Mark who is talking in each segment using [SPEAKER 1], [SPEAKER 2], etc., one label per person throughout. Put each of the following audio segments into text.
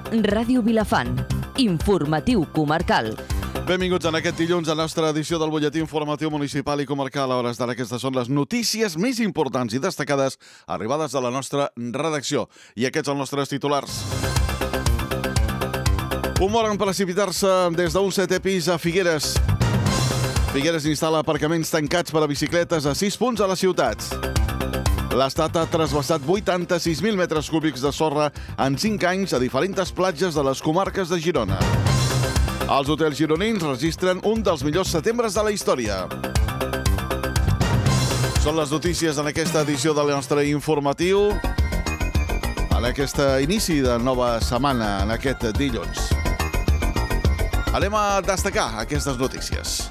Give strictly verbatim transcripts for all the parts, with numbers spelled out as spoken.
[SPEAKER 1] Ràdio Vilafant. Informatiu comarcal.
[SPEAKER 2] Benvinguts en aquest dilluns a la nostra edició del butlletí informatiu municipal i comarcal. A hores d'ara, aquestes són les notícies més importants i destacades arribades de la nostra redacció. I aquests els nostres titulars. Un mort en precipitar-se des d'un setè pis a Figueres. Figueres instal·la aparcaments tancats per a bicicletes a sis punts a la ciutat. L'Estat ha trasbassat vuitanta-sis mil metres cúbics de sorra en cinc anys a diferents platges de les comarques de Girona. Els hotels gironins registren un dels millors setembres de la història. Són les notícies en aquesta edició del nostre informatiu, en aquest inici de nova setmana, en aquest dilluns. Anem a destacar aquestes notícies.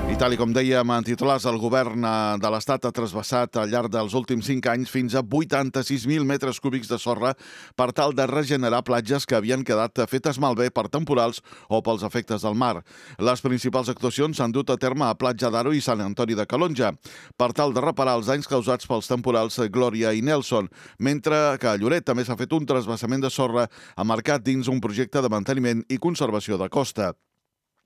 [SPEAKER 2] I tal com dèiem en titulars, el govern de l'Estat ha trasbassat al llarg dels últims cinc anys fins a vuitanta-sis mil metres cúbics de sorra per tal de regenerar platges que havien quedat fetes malbé per temporals o pels efectes del mar. Les principals actuacions s'han dut a terme a Platja d'Aro i Sant Antoni de Calonja per tal de reparar els danys causats pels temporals Glòria i Nelson, mentre que a Lloret també s'ha fet un trasbassament de sorra emmarcat dins un projecte de manteniment i conservació de costa.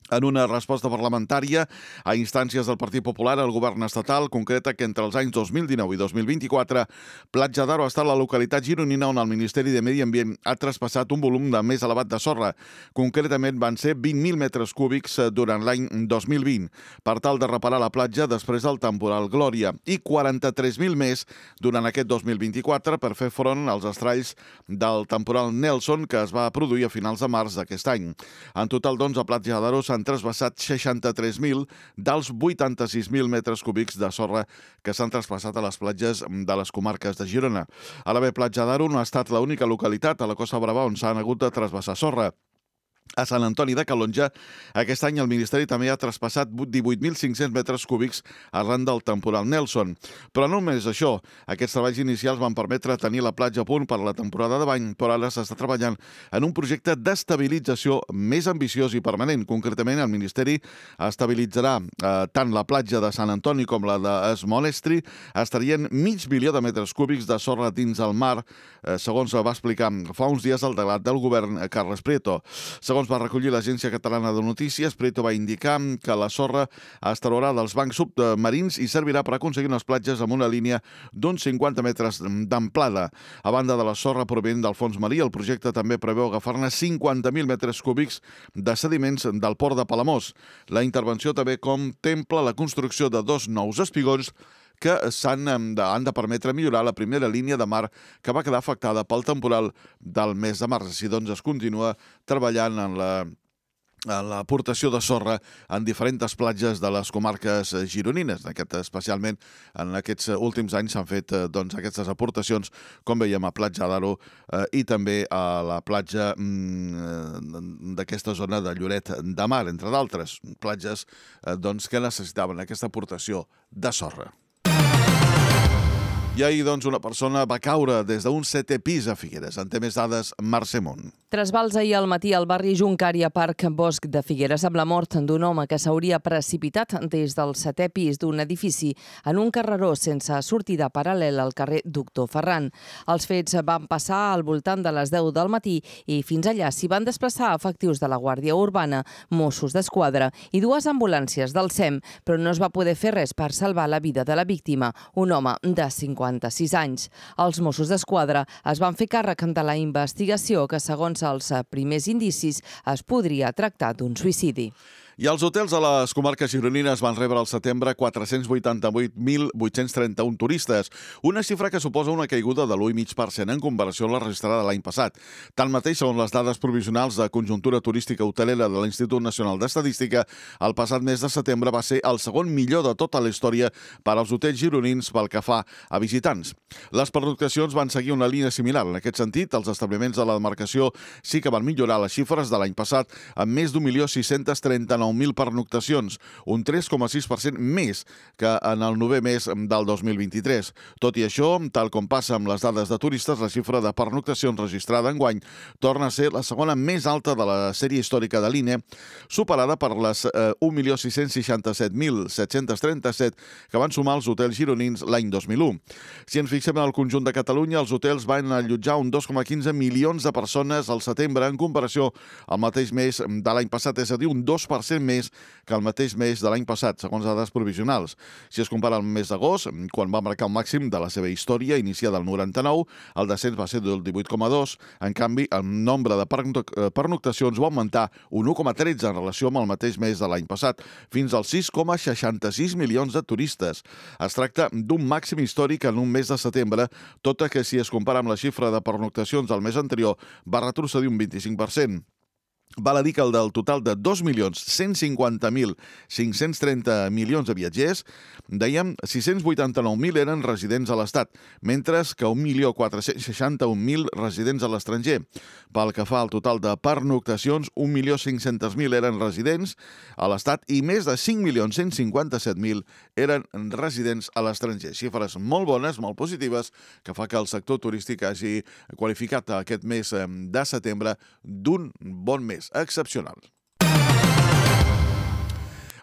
[SPEAKER 2] En una resposta parlamentària a instàncies del Partit Popular, el govern estatal concreta que entre els anys dos mil dinou i dos mil vint-i-quatre, Platja d'Aro ha estat la localitat gironina on el Ministeri de Medi Ambient ha traspassat un volum de més elevat de sorra. Concretament van ser vint mil metres cúbics durant l'any dos mil vint, per tal de reparar la platja després del temporal Glòria, i quaranta-tres mil més durant aquest dos mil vint-i-quatre per fer front als estralls del temporal Nelson que es va produir a finals de març d'aquest any. En total, doncs, a Platja d'Aro s'han trasbassat seixanta-tres mil dels vuitanta-sis mil metres cúbics de sorra que s'han traspassat a les platges de les comarques de Girona. Ara bé, Platja d'Aro no ha estat l'única localitat a la Costa Brava on s'han hagut de trasbassar sorra. A Sant Antoni de Calonja, aquest any el Ministeri també ha traspassat divuit mil cinc-cents metres cúbics arran del temporal Nelson. Però no només això, aquests treballs inicials van permetre tenir la platja a punt per a la temporada de bany, però ara s'està treballant en un projecte d'estabilització més ambiciós i permanent. Concretament, el Ministeri estabilitzarà eh, tant la platja de Sant Antoni com la d'Es Monestri. Estarien mig milió de metres cúbics de sorra dins el mar, eh, segons va explicar fa uns dies el delegat del govern, Carles Prieto. Segons va recollir l'Agència Catalana de Notícies, Prieto va indicar que la sorra es traurà dels bancs submarins i servirà per aconseguir unes platges amb una línia d'uns cinquanta metres d'amplada. A banda de la sorra provinent del fons marí, el projecte també preveu agafar-ne cinquanta mil metres cúbics de sediments del port de Palamós. La intervenció també contempla la construcció de dos nous espigons que s'han de, han de permetre millorar la primera línia de mar que va quedar afectada pel temporal del mes de març. Així doncs es continua treballant en la en l'aportació de sorra en diferents platges de les comarques gironines. Aquest, especialment en aquests últims anys s'han fet doncs, aquestes aportacions, com veiem, a Platja d'Aro eh, i també a la platja mm, d'aquesta zona de Lloret de Mar, entre d'altres platges eh, doncs, que necessitaven aquesta aportació de sorra. I ahir, doncs, una persona va caure des d'un setè pis a Figueres. En té més dades, Mercè Mont.
[SPEAKER 1] Trasbals ahir al matí al barri Juncària Parc Bosc de Figueres amb la mort d'un home que s'hauria precipitat des del setè pis d'un edifici en un carreró sense sortida paral·lel al carrer Doctor Ferran. Els fets van passar al voltant de les deu del matí i fins allà s'hi van desplaçar efectius de la Guàrdia Urbana, Mossos d'Esquadra i dues ambulàncies del S E M, però no es va poder fer res per salvar la vida de la víctima, un home de cinquanta-sis anys. Els Mossos d'Esquadra es van fer càrrec de la investigació que, segons els primers indicis, es podria tractar d'un suïcidi.
[SPEAKER 2] I els hotels a les comarques gironines van rebre al setembre quatre-cents vuitanta-vuit mil vuit-cents trenta-un turistes, una xifra que suposa una caiguda de l'u coma cinc per cent en comparació amb la registrada l'any passat. Tanmateix, segons les dades provisionals de conjuntura turística hotelera de l'Institut Nacional d'Estadística, el passat mes de setembre va ser el segon millor de tota la història per als hotels gironins pel que fa a visitants. Les pernoctacions van seguir una línia similar. En aquest sentit, els establiments de la demarcació sí que van millorar les xifres de l'any passat amb més d'un milió sis-cents trenta-nou dinou mil pernoctacions, un tres coma sis per cent més que en el novè mes del dos mil vint-i-tres. Tot i això, tal com passa amb les dades de turistes, la xifra de pernoctacions registrada enguany torna a ser la segona més alta de la sèrie històrica de l'I N E, superada per les eh, un milió sis-cents seixanta-set mil set-cents trenta-set que van sumar els hotels gironins l'any dos mil u. Si ens fixem en el conjunt de Catalunya, els hotels van allotjar un dos coma quinze milions de persones al setembre en comparació al mateix mes de l'any passat, és a dir, un dos per cent més que el mateix mes de l'any passat, segons dades provisionals. Si es compara el mes d'agost, quan va marcar el màxim de la seva història, iniciada el noranta-nou, el descens va ser del divuit coma dos. En canvi, el nombre de pernoctacions va augmentar un u coma tretze en relació amb el mateix mes de l'any passat, fins als sis coma seixanta-sis milions de turistes. Es tracta d'un màxim històric en un mes de setembre, tot i que si es compara amb la xifra de pernoctacions del mes anterior va retrocedir un vint-i-cinc per cent. Val a dir que el del total de dos milions cent cinquanta mil cinc-cents trenta milions de viatgers, dèiem, sis-cents vuitanta-nou mil eren residents a l'Estat, mentre que un milió quatre-cents seixanta-un mil residents a l'estranger. Pel que fa al total de pernoctacions, un milió cinc-cents mil eren residents a l'Estat i més de cinc milions cent cinquanta-set mil eren residents a l'estranger. Xifres molt bones, molt positives, que fa que el sector turístic hagi qualificat aquest mes de setembre d'un bon mes excepcional.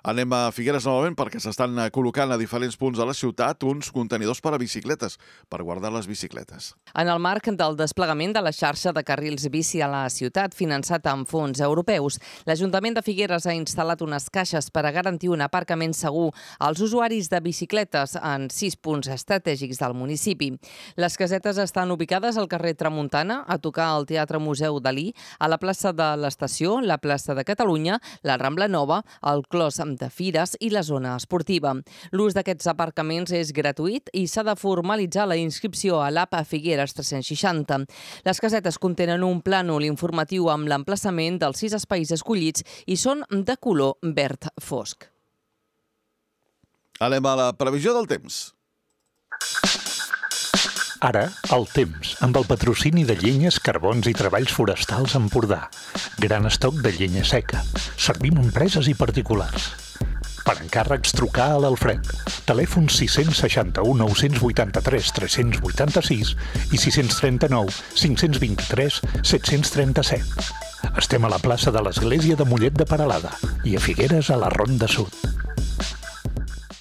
[SPEAKER 2] Anem a Figueres novament perquè s'estan col·locant a diferents punts de la ciutat uns contenidors per a bicicletes, per guardar les bicicletes.
[SPEAKER 1] En el marc del desplegament de la xarxa de carrils bici a la ciutat, finançat amb fons europeus, l'Ajuntament de Figueres ha instal·lat unes caixes per a garantir un aparcament segur als usuaris de bicicletes en sis punts estratègics del municipi. Les casetes estan ubicades al carrer Tramuntana, a tocar al Teatre Museu Dalí, a la plaça de l'Estació, la plaça de Catalunya, la Rambla Nova, el Clos de Fires i la zona esportiva. L'ús d'aquests aparcaments és gratuït i s'ha de formalitzar la inscripció a l'app Figueres tres-cents seixanta. Les casetes contenen un plànol informatiu amb l'emplaçament dels sis espais escollits i són de color verd fosc.
[SPEAKER 2] Anem a la previsió del temps.
[SPEAKER 3] Ara, el temps, amb el patrocini de Llenyes, Carbons i Treballs Forestals Empordà. Gran estoc de llenya seca. Servim empreses i particulars. Per encàrrecs, trucar a l'Alfred. Telèfon sis seixanta u nou vuitanta-tres tres vuitanta-sis i sis trenta-nou cinc vint-i-tres set trenta-set. Estem a la plaça de l'Església de Mollet de Peralada i a Figueres a la Ronda Sud.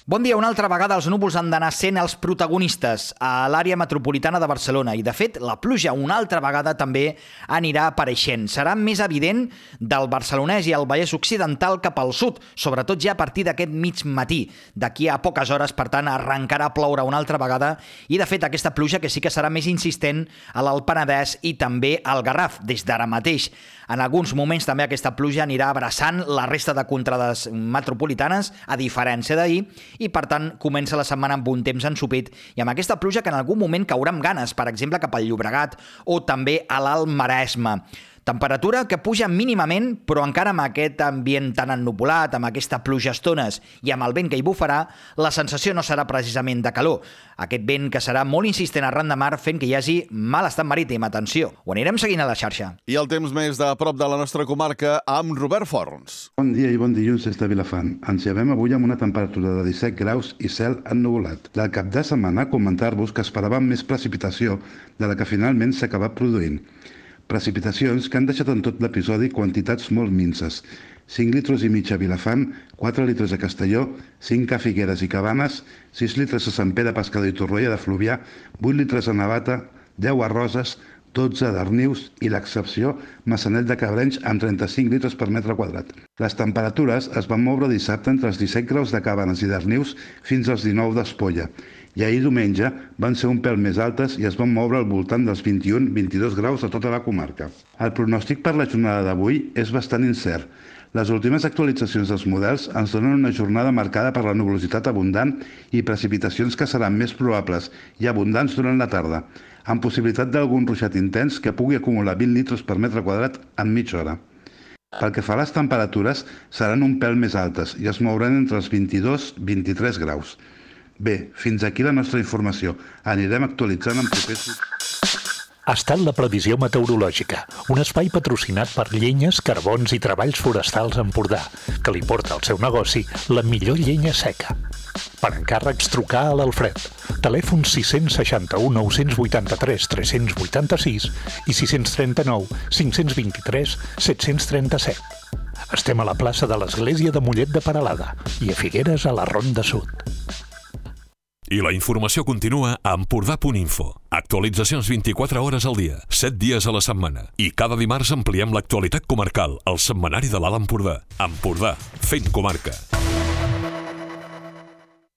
[SPEAKER 4] Bon dia. Una altra vegada els núvols han d'anar sent els protagonistes a l'àrea metropolitana de Barcelona i, de fet, la pluja una altra vegada també anirà apareixent. Serà més evident del Barcelonès i el Vallès Occidental cap al sud, sobretot ja a partir d'aquest mig matí. D'aquí a poques hores, per tant, arrencarà a ploure una altra vegada i, de fet, aquesta pluja que sí que serà més insistent a l'Alt Penedès i també al Garraf, des d'ara mateix. En alguns moments també aquesta pluja anirà abraçant la resta de contrades metropolitanes, a diferència d'ahir, i per tant comença la setmana amb un temps ensopit i amb aquesta pluja que en algun moment caurà amb ganes, per exemple cap al Llobregat o també a l'Alt Maresme. Temperatura que puja mínimament, però encara amb aquest ambient tan ennuvolat, amb aquesta pluja a estones i amb el vent que hi bufarà, la sensació no serà precisament de calor. Aquest vent que serà molt insistent arran de mar fent que hi hagi mal estat marítim. Atenció, ho anirem seguint a la xarxa.
[SPEAKER 2] I el temps més de prop de la nostra comarca amb Robert Forns.
[SPEAKER 5] Bon dia i bon dilluns des de Vilafant. Ens llevem avui amb una temperatura de disset graus i cel ennuvolat. Del cap de setmana comentar-vos que esperàvem més precipitació de la que finalment s'ha acabat produint. Precipitacions que han deixat en tot l'episodi quantitats molt minces. cinc litres i mig a Vilafant, quatre litres a Castelló, cinc a Figueres i Cabanes, sis litres a Sant Pere Pescador i Torroella de Fluvià, vuit litres a Navata, deu a Roses, dotze a Darnius i l'excepció Maçanet de Cabrenys amb trenta-cinc litres per metre quadrat. Les temperatures es van moure dissabte entre els disset graus de Cabanes i Darnius fins als dinou d'Espolla. I ahir diumenge van ser un pèl més altes i es van moure al voltant dels vint-i-un a vint-i-dos graus a tota la comarca. El pronòstic per la jornada d'avui és bastant incert. Les últimes actualitzacions dels models ens donen una jornada marcada per la nuvolositat abundant i precipitacions que seran més probables i abundants durant la tarda, amb possibilitat d'algun ruixat intens que pugui acumular vint litres per metre quadrat en mitja hora. Pel que fa a les temperatures, seran un pèl més altes i es mouran entre els vint-i-dos i vint-i-tres graus. Bé, fins aquí la nostra informació. Anirem actualitzant en propers...
[SPEAKER 3] ha estat la previsió meteorològica, un espai patrocinat per Llenyes, Carbons i Treballs Forestals Empordà, que li porta al seu negoci la millor llenya seca. Per encàrrecs, trucar a l'Alfred. Telèfon sis seixanta u nou vuitanta-tres tres vuitanta-sis i sis trenta-nou cinc vint-i-tres set trenta-set. Estem a la plaça de l'Església de Mollet de Peralada i a Figueres a la Ronda Sud.
[SPEAKER 6] I la informació continua a empordà punt info. Actualitzacions vint-i-quatre hores al dia, set dies a la setmana. I cada dimarts ampliem l'actualitat comarcal al setmanari de l'Alt Empordà. Empordà, fent comarca.